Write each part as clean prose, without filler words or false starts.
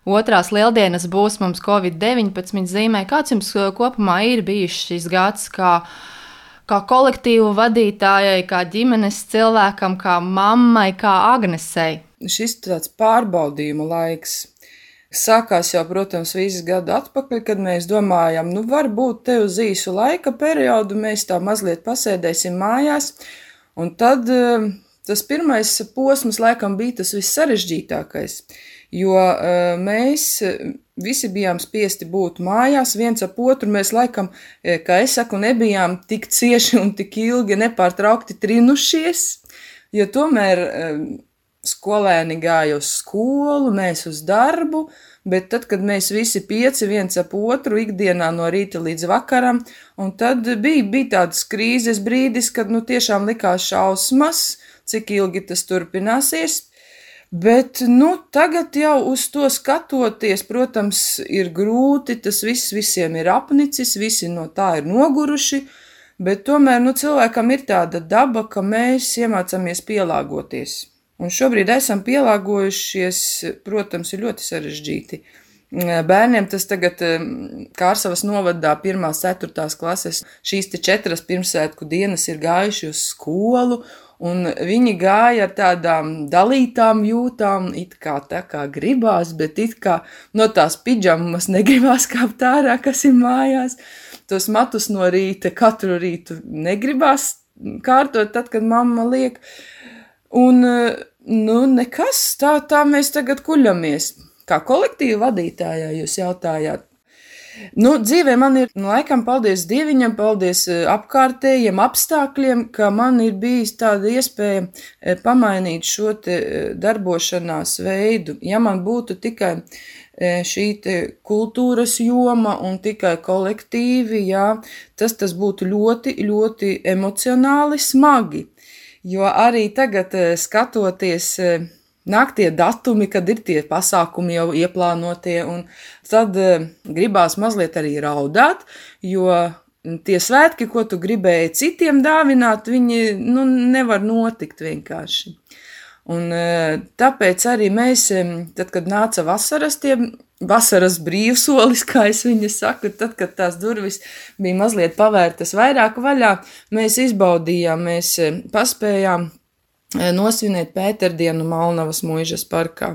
otrās lieldienas būs mums Covid-19 zīmē. Kāds jums kopumā ir bijis šis gads kā kolektīvu vadītājai, kā ģimenes cilvēkam, kā mammai, kā Agnesei? Šis tāds pārbaudījuma laiks. Sākās jau, protams, visu gadu atpakaļ, kad mēs domājam, varbūt te uz īsu laika periodu mēs tā mazliet pasēdēsim mājās, un tad tas pirmais posms laikam bija tas vissarežģītākais, jo mēs visi bijām spiesti būt mājās, viens ap otru, mēs laikam, kā es saku, nebijām tik cieši un tik ilgi nepārtraukti trinušies, jo tomēr skolēni gāja uz skolu, mēs uz darbu, bet tad, kad mēs visi 5 viens ap otru ikdienā no rīta līdz vakaram, un tad bija tāds krīzes brīdis, kad tiešām likās šausmas, cik ilgi tas turpināsies, bet tagad jau uz to skatoties, protams, ir grūti, tas viss visiem ir apnicis, visi no tā ir noguruši, bet tomēr cilvēkam ir tāda daba, ka mēs iemācāmies pielāgoties. Un šobrīd esam pielāgojušies, protams, ir ļoti sarežģīti. Bērniem tas tagad Kārsavas novadā 1. 4. klases šīs 4 pirmsvētku dienas ir gājuši uz skolu, un viņi gāja ar tādām dalītām jūtām, it kā tā kā gribās, bet it kā no tās pidžamas negribās kāpt ārā, kas ir mājās. Tos matus no rīta katru rītu negribās kārtot tad, kad mamma liek. Un, nekas, tā mēs tagad kuļamies. Kā kolektīva vadītājā jūs jautājāt? Dzīvē man ir, laikam, paldies Dieviņam, paldies apkārtējiem apstākļiem, ka man ir bijis tāda iespēja pamainīt šo te darbošanās veidu. Ja man būtu tikai šī te kultūras joma un tikai kolektīvi, tas būtu ļoti, ļoti emocionāli smagi. Jo arī tagad skatoties, nāk tie datumi, kad ir tie pasākumi jau ieplānotie, un tad gribās mazliet arī raudāt, jo tie svētki, ko tu gribēji citiem dāvināt, viņi nevar notikt vienkārši. Un tāpēc arī mēs, tad, kad nāca vasaras brīvsolis, kā es viņu saku, tad, kad tās durvis bija mazliet pavērtas vairāk vaļā, mēs izbaudījām, mēs paspējām nosvinēt Pēterdienu Malnavas muižas parkā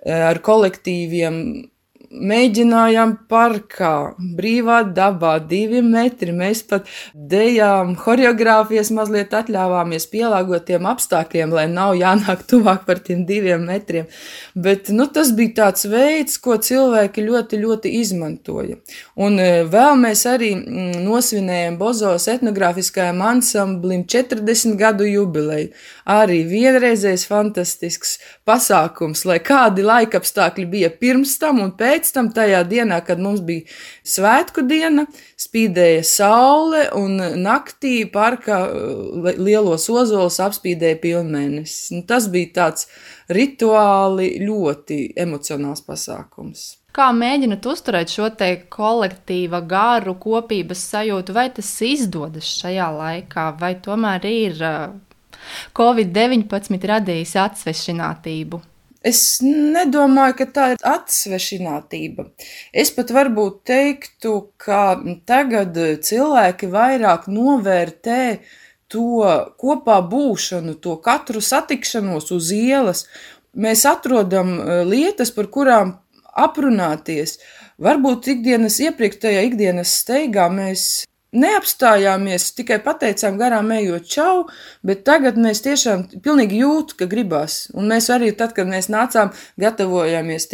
ar kolektīviem. Mēģinājām parkā, brīvā dabā, 2 metri, mēs pat dejām, horeogrāfijas mazliet atļāvāmies pielāgot tiem apstākļiem, lai nav jānāk tuvāk par tiem 2 metriem, bet, tas bija tāds veids, ko cilvēki ļoti, ļoti izmantoja. Un vēl mēs arī nosvinējam Bozovas etnogrāfiskajam ansamblim 40 gadu jubileju. Arī vienreizējs fantastisks pasākums, lai kādi laikapstākļi bija pirms tam un pēc tam tajā dienā, kad mums bija svētku diena, spīdēja saule un naktī parkā lielos ozolus apspīdēja pilnmēnesis. Tas bija tāds rituāli ļoti emocionāls pasākums. Kā mēģināt uzturēt šo te kolektīva garu, kopības sajūtu, vai tas izdodas šajā laikā, vai tomēr ir Covid-19 radījis atsvešinātību? Es nedomāju, ka tā ir atsvešinātība. Es pat varbūt teiktu, ka tagad cilvēki vairāk novērtē to kopā būšanu, to katru satikšanos uz ielas. Mēs atrodam lietas, par kurām aprunāties. Varbūt iepriekš tajā ikdienas steigā mēs neapstājāmies, tikai pateicām garām ejot čau, bet tagad mēs tiešām pilnīgi jūtu, ka gribās. Un mēs arī tad, kad mēs nācām, gatavojāmies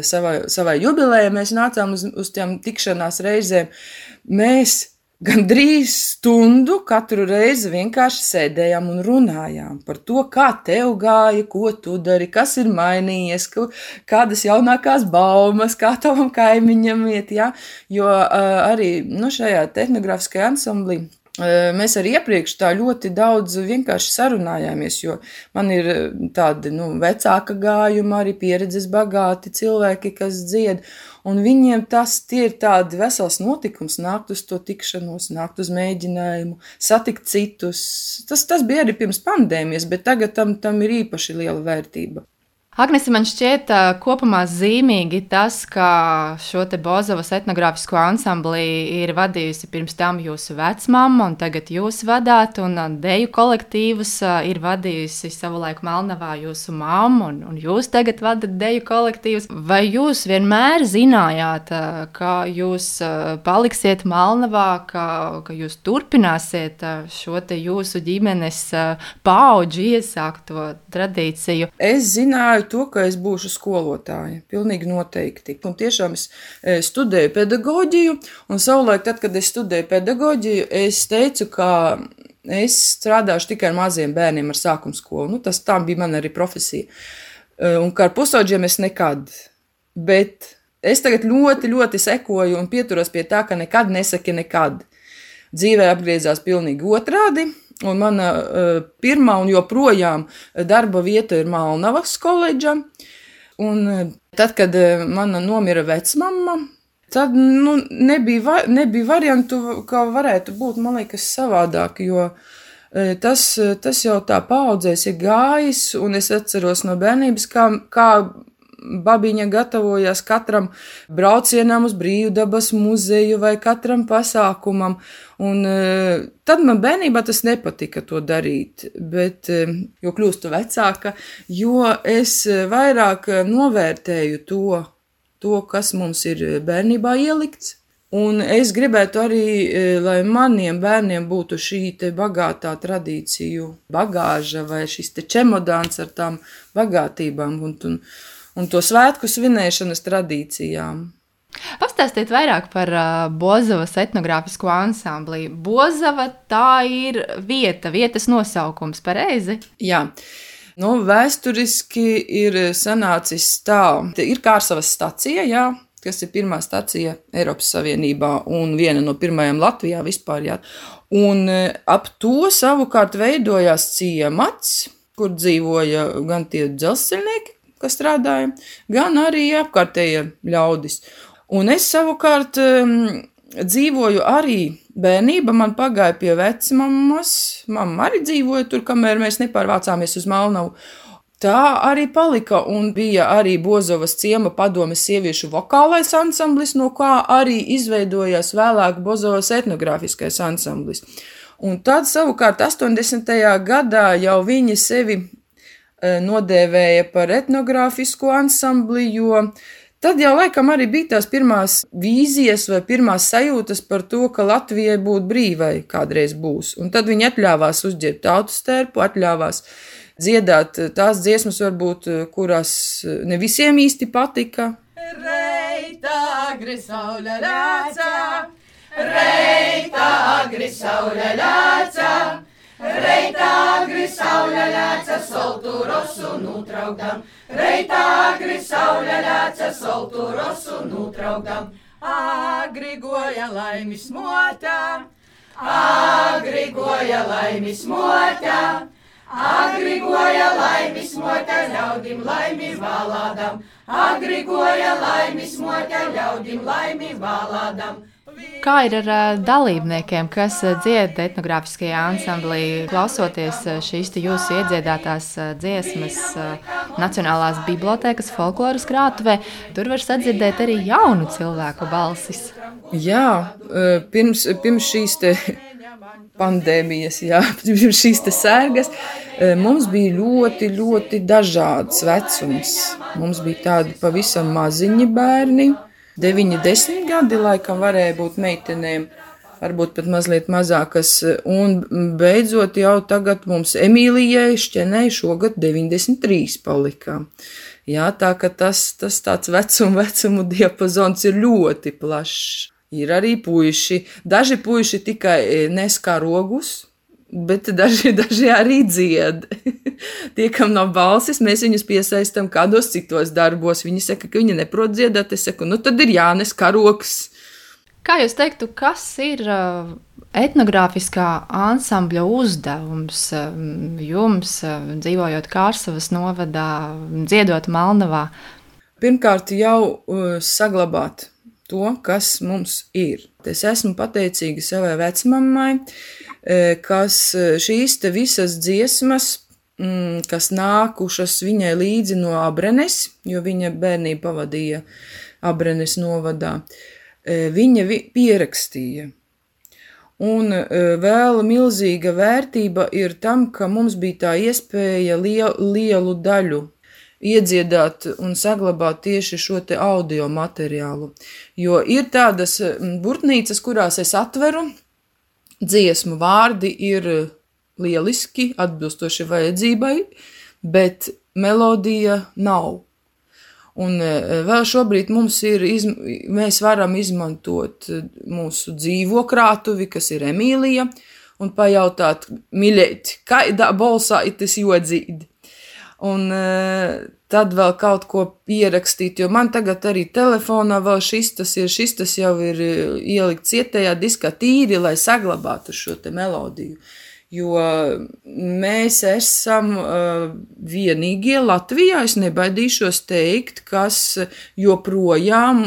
savai jubilejai, mēs nācām uz tiem tikšanās reizēm, mēs gandrīz stundu katru reizi vienkārši sēdējām un runājām par to, kā tev gāja, ko tu dari, kas ir mainījies, kādas jaunākās baumas, kā tavam kaimiņam iet, jo arī šajā etnogrāfiskajā ansamblī mēs arī iepriekš tā ļoti daudz vienkārši sarunājāmies, jo man ir tādi vecāka gājuma, arī pieredzes bagāti cilvēki, kas dzied, un viņiem tie ir tādi vesels notikums, nākt uz to tikšanos, nākt uz mēģinājumu, satikt citus. Tas bija arī pirms pandēmijas, bet tagad tam ir īpaši liela vērtība. Agnese, man šķiet, kopumā zīmīgi tas, ka šo te Bozovas etnogrāfisko ansambli ir vadījusi pirms tam jūsu vecmamma, un tagad jūs vadāt, un deju kolektīvus ir vadījusi savulaik Melnavā jūsu mamma, un jūs tagad vadat deju kolektīvus. Vai jūs vienmēr zinājāt, ka jūs paliksiet Melnavā, ka jūs turpināsiet šo te jūsu ģimenes paudžu iesākto tradīciju? Es zināju to, ka es būšu skolotāja, pilnīgi noteikti. Un tiešām es studēju pedagoģiju, un savulaik, tad, kad es studēju pedagoģiju, es teicu, ka es strādāšu tikai ar maziem bērniem ar sākuma skolu. Tā bija man arī profesija. Un kā ar pusaudžiem es nekad. Bet es tagad ļoti, ļoti sekoju un pieturos pie tā, ka nekad nesaki nekad. Dzīvē apgriezās pilnīgi otrādi. Un mana pirmā un joprojām darba vieta ir Melnavas koledža. Un tad, kad mana nomira vecmamma, tad nebija variantu, kā varētu būt, man liekas, savādāk, jo tas jau tā paudzēs ir gājis, un es atceros no bērnības, kā babiņa gatavojās katram braucienam uz Brīvdabas muzeju vai katram pasākumam. Un tad man bērnībā tas nepatika to darīt, bet jo kļūstu vecāka, jo es vairāk novērtēju to, kas mums ir bērnībā ielikts. Un es gribētu arī, lai maniem bērniem būtu šī te bagātā tradīciju bagāža vai šis te čemodāns ar tām bagātībām un to svētku svinēšanas tradīcijām. Pastāstiet vairāk par Bozavas etnogrāfisko ansambli. Bozava tā ir vietas nosaukums, pareizi? Jā. Vēsturiski ir sanācis tā. Ir Kārsavas stacija, jā, kas ir pirmā stacija Eiropas Savienībā un viena no pirmajām Latvijā vispār, jā. Un ap to savukārt veidojās ciemats, kur dzīvoja gan tie dzelzceļnieki, kas strādāja, gan arī apkārtējie ļaudis. Un es savukārt dzīvoju arī bērnība, man pagāja pie vecmammas, mamma arī dzīvoja tur, kamēr mēs nepārvācāmies uz Melnavu. Tā arī palika un bija arī Bozovas ciema padomes sieviešu vokālais ansamblis, no kā arī izveidojās vēlāk Bozovas etnogrāfiskais ansamblis. Un tad savukārt 80. gadā jau viņi sevi nodēvēja par etnogrāfisko ansambli, jo tad jau laikam arī bija tās pirmās vīzijas vai pirmās sajūtas par to, ka Latvijai būt brīvai kādreiz būs. Un tad viņi atļāvās uzģērbt tautas tērpu, atļāvās dziedāt tās dziesmas, varbūt, kurās ne visiem īsti patika. Reita agri saule lēca, reita agri saule lēca, reita agri saule lēca, soltu rosu nutraukdam, reita agri saule lēca, soltu rosu nutraukdam. Agri goja laimis motā, agri goja laimis motā, agri goja laimis motā, ļaudim laimi valādam, agri goja laimis motā, ļaudim laimi valādam. Kā ir ar dalībniekiem, kas dzied etnogrāfiskajā ansamblī, klausoties šīs jūsu iedziedātās dziesmas Nacionālās bibliotēkas folkloras krātuvē? Tur var sadzirdēt arī jaunu cilvēku balsis. Jā, pirms šīs te pandēmijas, jā, pirms šīs te sērgas, mums bija ļoti, ļoti dažāds vecums. Mums bija tādi pavisam maziņi bērni, 9-10 gadi laikam varēja būt meitenēm, varbūt pat mazliet mazākas, un beidzot jau tagad mums Emīlijai Šķenei šogad 93 palika. Jā, tā ka tas tāds vecumu diapazons ir ļoti plašs. Ir arī puiši, daži puiši tikai nes karogus, bet daži arī dzied. Tie, kam nav balsis, mēs viņus piesaistam kādos citos darbos. Viņi saka, ka viņi neprot dziedāt. Es saku, tad ir jānes karoks. Kā jūs teiktu, kas ir etnogrāfiskā ansambļa uzdevums jums, dzīvojot Kārsavas novadā, dziedot Melnavā? Pirmkārt jau saglabāt to, kas mums ir. Es esmu pateicīga savai vecmammai, kas šīs te visas dziesmas kas nākušas viņai līdzi no Abrenes, jo viņa bērnību pavadīja Abrenes novadā, viņa pierakstīja. Un vēl milzīga vērtība ir tam, ka mums bija tā iespēja lielu daļu iedziedāt un saglabāt tieši šo te audio materiālu. Jo ir tādas burtnīcas, kurās es atveru, dziesmu vārdi ir lieliski, atbilstoši vajadzībai, bet melodija nav. Un vēl šobrīd mēs varam izmantot mūsu dzīvo krātuvi, kas ir Emīlija, un pajautāt, miļēt, kādā balsā tas jodzīt. Un tad vēl kaut ko pierakstīt, jo man tagad arī telefonā vēl šis jau ir ielikts cietējā diskā tīri, lai saglabātu šo te melodiju. Jo mēs esam vienīgie Latvijā, es nebaidīšos teikt, kas joprojām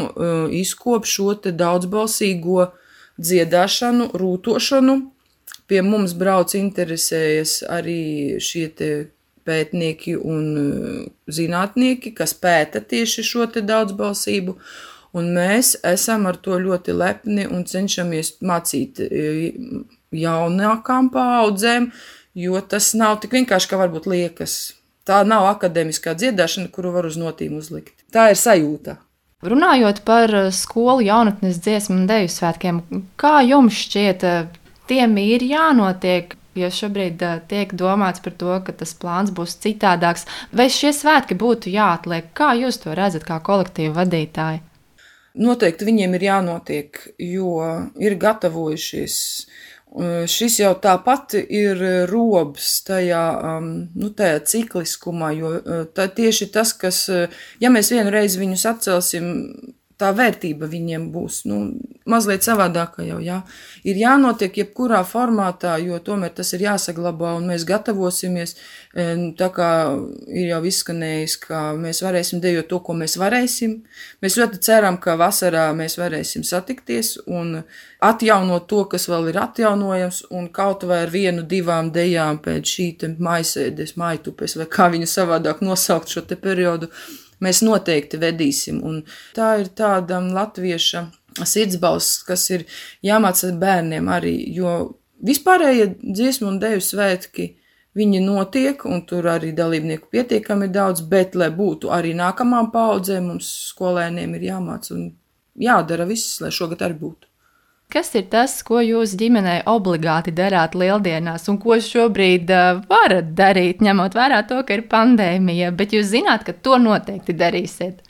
izkop šo te daudzbalsīgo dziedāšanu, rūtošanu. Pie mums brauc interesējas arī šie te pētnieki un zinātnieki, kas pēta tieši šo te daudzbalsību, un mēs esam ar to ļoti lepni un cenšamies mācīt jaunākām paaudzēm, jo tas nav tik vienkārši, kā varbūt liekas. Tā nav akadēmiskā dziedāšana, kuru var uz notīm uzlikt. Tā ir sajūta. Runājot par skolu jaunatnes dziesmu un deju svētkiem, kā jums šķiet, tiem ir jānotiek, jo šobrīd tiek domāts par to, ka tas plāns būs citādāks, vai šie svētki būtu jāatliek? Kā jūs to redzat kā kolektīva vadītāji? Noteikti viņiem ir jānotiek, jo ir gatavojušies. Šis jau tāpat ir robs tajā cikliskumā, jo tā tieši tas, kas, ja mēs vienu reizi viņus atcelsim, tā vērtība viņiem būs, mazliet savādāka jau, jā. Ir jānotiek jebkurā formātā, jo tomēr tas ir jāsaglabā un mēs gatavosimies, tā kā ir jau izskanējis, ka mēs varēsim dejot to, ko mēs varēsim. Mēs ļoti ceram, ka vasarā mēs varēsim satikties un atjaunot to, kas vēl ir atjaunojams, un kaut vai ar 1-2 dejām pēc šī te maisēdes, maitupes, vai kā viņu savādāk nosaukt šo te periodu, mēs noteikti vedīsim, un tā ir tāda latvieša sirdsbalss, kas ir jāmāca bērniem arī, jo vispārējie dziesmu un deju svētki, viņi notiek, un tur arī dalībnieku pietiekami daudz, bet, lai būtu arī nākamām paaudzēm, mums skolēniem ir jāmāca un jādara viss, lai šogad arī būtu. Kas ir tas, ko jūs ģimenei obligāti darāt lieldienās un ko šobrīd varat darīt, ņemot vērā to, ka ir pandēmija, bet jūs zināt, ka to noteikti darīsiet?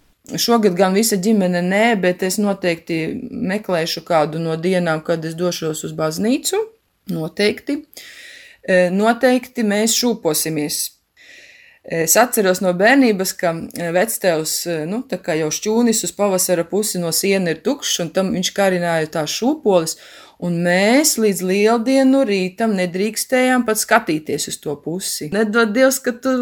Šogad gan visa ģimene nē, bet es noteikti meklēšu kādu no dienām, kad es došos uz baznīcu. Noteikti. Noteikti mēs šūposimies. Es atceros no bērnības, ka vectēvs, tā kā jau šķūnis uz pavasara pusi no siena ir tukšs, un tam viņš karināja tās šūpoles, un mēs līdz lieldienu rītam nedrīkstējām pat skatīties uz to pusi. Nedod Dievs, ka tu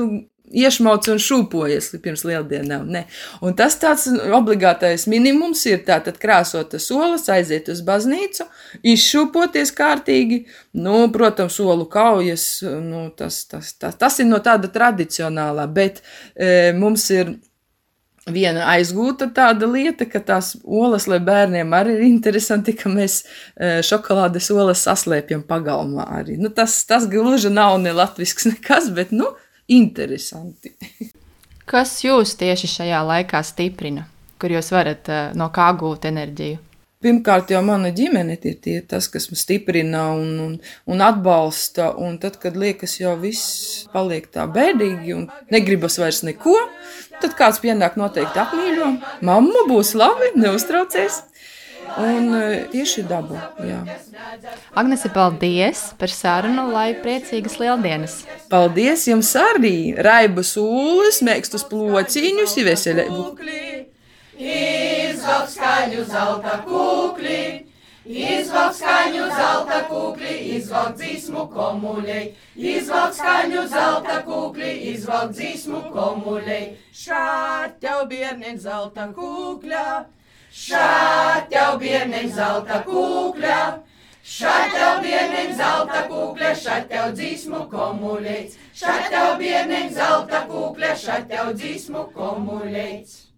iešmauc un šūpojies pirms lieldienām, ne. Un tas tāds obligātais minimums ir tātad krāsot solas, aiziet uz baznīcu, izšūpoties kārtīgi, protams, solu kaujas, tas ir no tāda tradicionālā, bet mums ir viena aizgūta tāda lieta, ka tās olas, lai bērniem arī ir interesanti, ka mēs šokolādes olas saslēpjam pagalmā arī. Tas gluži nav ne latvisks nekas, bet, interesanti. Kas jūs tieši šajā laikā stiprina, kur jūs varat no kā gūt enerģiju? Pirmkārt jau mana ģimene ir tas, kas man stiprina un atbalsta, un tad, kad liekas jau viss paliek tā bēdīgi un negribas vairs neko, tad kāds pienāk noteikti apmīļo. Mamma būs labi, neuztraucies. Un tieši dabu, jā. Agnese, paldies par sarunu, lai priecīgas lieldienas. Paldies jums arī, raibas ūles, mēkstus plociņus, veselību. Izvelk skaļu zelta kukli, izvelk skaļu zelta kukli, izvelk dzīsmu komuļei. Izvelk skaļu zelta kukli, izvelk dzīsmu komuļei. Šād tev bierneņ zelta kukļa, šād tev bierneņ zelta kukļa, Šat tev bierniņ zelta kūkļa, šat tev dzīsmu komuļeits. Šat tev bierniņ zelta kūkļa, šat tev dzīsmu komuļeits.